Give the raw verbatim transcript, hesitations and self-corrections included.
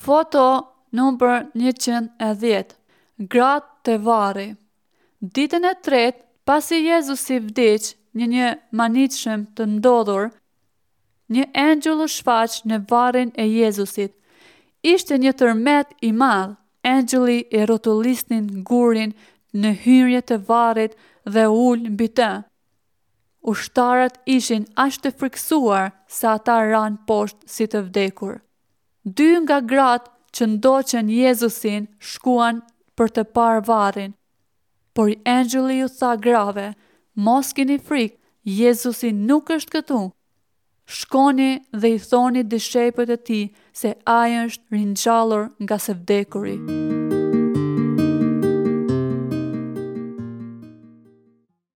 Foto numër njëqind e dhjetë. Gratë te varri. Ditën e tretë, pasi Jezusi vdiq në një mahnitshëm të ndodhur, një engjëll u shfaq në varrin e Jezusit. Ishte një tërmet i madh. Engjëlli e rrotullisnin gurin në hyrje të varrit dhe u ul mbi të. Ushtarët ishin aq të frikësuar sa ata ranë poshtë si të vdekur. Dy nga gratë që ndoqën Jezusin shkuan për të parë varrin. Por engjëlli ju tha grave, mos keni frikë, Jezusi nuk është këtu. Shkoni dhe i thoni dishepujt e tij se ai është ringjallur nga së vdekuri.